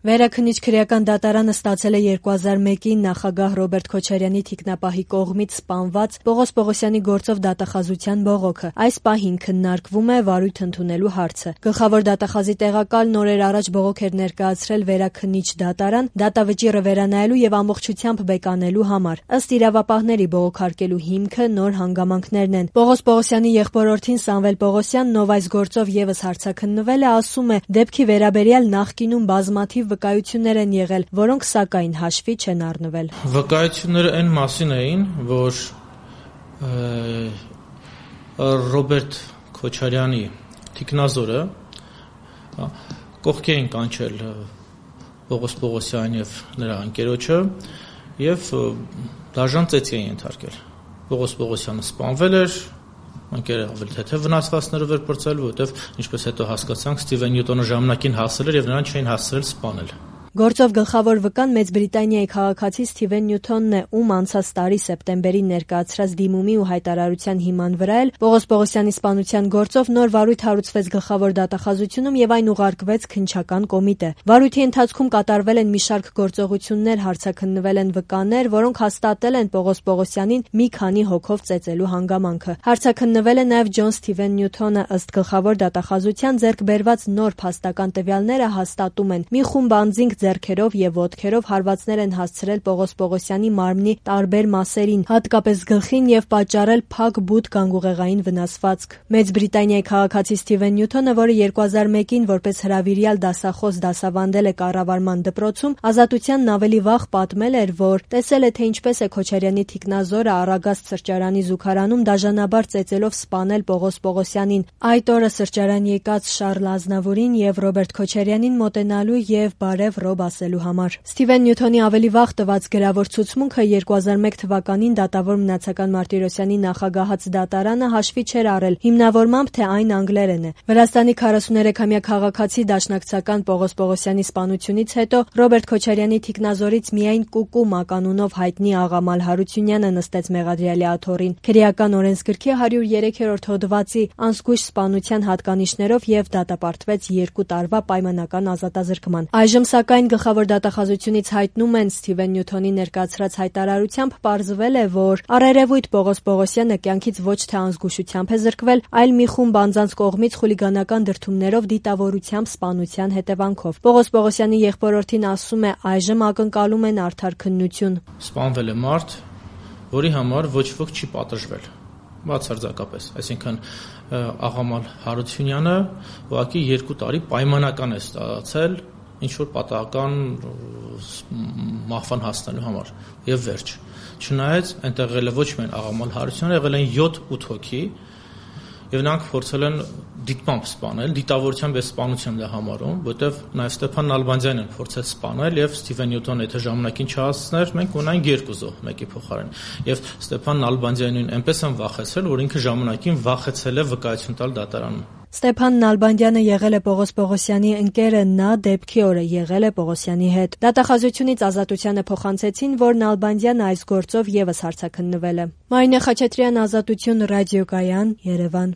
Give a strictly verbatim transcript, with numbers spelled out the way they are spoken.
Վերաքննիչ քրեական դատարանը ստացել է երկու հազար մեկին նախագահ Ռոբերտ Քոչարյանի թիկնապահի կողմից սպանված Պողոս Պողոսյանի գործով դատախազության բողոքը։ Այս պահին քննարկվում է վարույթ ընդունելու հարցը։ Գլխավոր դատախազի տեղակալն օրեր առաջ բողոք էր ներկայացրել վերաքննիչ դատարան դատավճիռը վերանայելու եւ ամբողջությամբ բեկանելու համար։ Ըստ իրավապահների բողոքարկելու հիմքը նոր հանգամանքներն են։ Պողոս Պողոսյանի եղբորորդին Սամվել Պողոսյանն, ով այս գործով եւս հարցաքննվել է, ասում է, դեպքի վերաբերյալ նախկինում բազմաթիվ վկայություններ են եղել, որոնք սակայն հաշվի չեն առնվել։ Վկայությունները այն մասին էին, որ Ռոբերտ Քոչարյանի թիկնազորը կողքի էին կանչել Պողոս Պողոսյանին եւ նրա ընկերոջը եւ դաժան ծեծի էին ենթարկել։ Պողոս Պողոսյանը սպանվել էր, ընկերը ավելի թեթև վնասվածքներով էր պրծել, որովհետեւ ինչպես հետո հասկացանք, Սթիվեն Նյուտոնը ժամանակին հասել էր եւ նրան չէին հասցրել սպանել։ Գործով գլխավոր վկան Մեծ Բրիտանիայի քաղաքացի Սթիվեն Նյութոնն է, ում անցած տարի սեպտեմբերին ներկայացրած դիմումի ու հայտարարության հիման վրա էլ Պողոս Պողոսյանի սպանության գործով նոր վարույթ հարուցվեց գլխավոր դատախազությունում եւ այն ուղարկվեց քննչական կոմիտե։ Վարույթի ընթացքում կատարվել են մի շարք գործողություններ, հարցաքննվել են վկաներ, որոնք հաստատել են Պողոս Պողոսյանին մի քանի հոգով ծեծելու հանգամանքը։ Հարցաքննվել է նաեւ Ջոն Սթիվեն Նյութոնը, ըստ գլխավոր դատախազության ձեռք բերված նոր փաստական տվյալները հաստատում են՝ մի խումբ անձինք ձեռքերով եւ ոտքերով հարվածներ են հասցրել Պողոս Պողոսյանի մարմնի տարբեր մասերին, հատկապես գլխին եւ պատճառել փակ բութ գանգուղեղային վնասվածք։ Մեծ Բրիտանիայի քաղաքացի Սթիվեն Նյութոնը, որը երկու հազար մեկին որպես հրավիրյալ դասախոս դասավանդել է կառավարման դպրոցում, Ազատությանն ավելի վաղ պատմել էր, որ տեսել է, թե ինչպես է Քոչարյանի թիկնազորը Արագաստ սրճարանի զուգարանում դաժանաբար ծեծելով սպանել Պողոս Պողոսյանին։ Այդ օրը սրճարան եկած Շառլ Ազնավուրին եւ Ռոբերտ Քոչարյանին մոտենալու եւ բարեւ ռոբ ասելու համար։ Սթիվեն Նյութոնի ավելի վաղ տված գրավոր ցուցմունքը երկու հազար մեկ թվականին դատավոր մնացական Մարտիրոսյանի նախագահած դատարանը հաշվի չէր առել, հիմնավորմամբ թե այն անգլերեն է։ Վրաստանի քառասուներեքամյա քաղաքացի դաշնակցական Պողոս Պողոսյանի սպանությունից հետո Ռոբերտ Քոչարյանի թիկնազորից միայն Կուկու մականունով հայտնի Աղամալ Հարությունյանը նստեց մեղադրյալի աթոռին։ Քրեական օրենսգրքի հարյուր երեքերորդ հոդվածի անզգույշ սպանության հատկանիշներով եւ դատապարտվեց երկու տարվա պայմանական ազատազրկման։ Այժմ սակայն գլխավոր դատախազությունից հայտնում են Սթիվեն Նյութոնի ներկայացրած հայտարարությամբ պարզվել է, որ առերևույթ Պողոս Պողոսյանը կյանքից ոչ թե անզգուշությամբ է զրկվել, այլ մի խումբ անձանց կողմից խուլիգանական դրդումներով դիտավորությամբ սպանության հետևանքով։ Պողոս Պողոսյանի եղբորորդին ասում է, այժմ ակնկալում են արդար քննություն։ Սպանվել է մարդ, որի համար ոչ ոք չի պատժվել։ Բացարձակապես, այսինքն Աղամալ Հարությունյանը ուղղակի երկու տարի պայմանական է ստացել ինչ որ պատահական մահվան հասնելու համար եւ վերջ։ Չնայած այնտեղ եղել է ոչ միայն Աղամալ Հարությունյանը, եղել են յոթ-ութ հոգի եւ նրանք փորձել են դիտմամբ սպանել, դիտավորությամբ է սպանություն դա համարում, որտեվ նաեւ Ստեփան Նալբանդյանն փորձել սպանել եւ Սթիվեն Նյութոնը եթե ժամանակին չհասցներ, մենք ունենք երկու զոհ մեկի փոխարեն։ Եվ Ստեփան Նալբանդյանին այնպես են վախեցրել, որ ինքը ժամանակին վախեցել է վկայություն տալ դատարանում։ Ստեփան Նալբանդյանը եղել է Պողոս Պողոսյանի ընկերը, նա դեպքի օրը եղել է Պողոսյանի հետ։ Դատախազությունից Ազատությանը փոխանցեցին, որ Նալբանդյանը այս գործով եւս հարցաքննվել է։ Մարինե Խաչատրյան, Ազատություն, ռադիոկայան, Երևան։